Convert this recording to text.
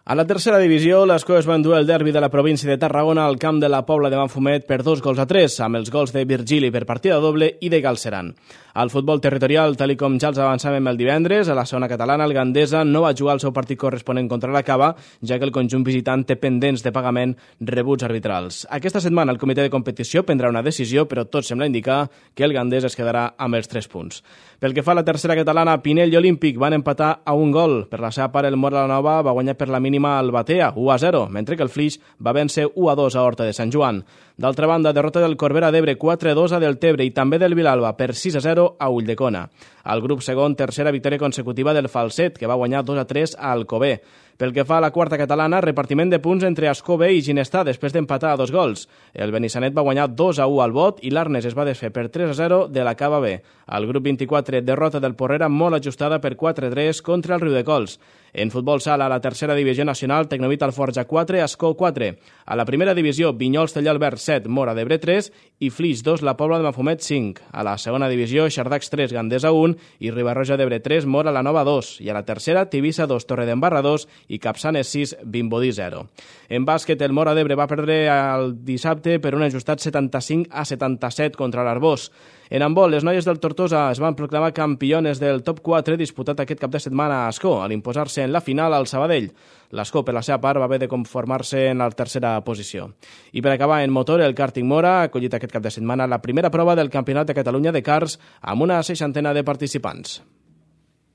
A la tercera divisió, l'Escó es va endur el derbi de la província de Tarragona al camp de la Pobla de Manfumet per 2-3, amb els gols de Virgili per partida doble i de Galceran. Al futbol territorial, tal com ja els avançàvem el divendres, a la zona catalana, el Gandesa no va jugar el seu partit corresponent contra la Cava, ja que el conjunt visitant té pendents de pagament rebuts arbitrals. Aquesta setmana el comitè de competició prendrà una decisió, però tot sembla indicar que el Gandesa es quedarà amb els 3 punts. Pel que fa a la tercera catalana, Pinell i Olímpic van empatar a un gol. Per la seva part, el Mora la Nova va guanyar per la mínima al Batea, 1-0, mentre que el Flix va vèncer 1-2 a Horta de Sant Joan. D'altra banda, derrota del Corbera d'Ebre 4-2 a Deltebre i també del Vilalba per 6-0 a Ulldecona. Al grup segon, tercera victòria consecutiva del Falset, que va guanyar 2-3 a Alcover. Pel que fa a la quarta catalana, repartiment de punts entre Ascó B i Ginestà després d'empatar a 2 gols. El Benissanet va guanyar 2-1 al Bot i l'Arnes es va desfer per 3-0 de la Cava B. Al grup 24, derrota del Porrera molt ajustada per 4-3 contra el Riudecols. En futbol sala, a la tercera divisió nacional, Tecnovit Alforja 4, Ascó 4. A la primera divisió, Vinyols Tellalbert 7, Mora d'Ebre 3 i Flix 2, la Pobla de Mafumet 5. A la segona divisió, Xardacs 3, Gandesa 1 i Ribarroja d'Ebre 3, Mora la Nova 2. I a la tercera, Tivissa 2, Torredembarra 2 i Capçanes 6, Vimbodí 0. En bàsquet, el Mora d'Ebre va perdre el dissabte per un ajustat 75-77 contra l'Arbós. En handbol, les noies del Tortosa es van proclamar campiones del top 4 disputat aquest cap de setmana a Ascó, al imposar-se en la final al Sabadell. L'Ascó, per la seva part, va haver de conformar-se en la tercera posició. I per acabar, en motor, el Karting Mora ha acollit aquest cap de setmana la primera prova del Campionat de Catalunya de Karts amb una 60 de participants.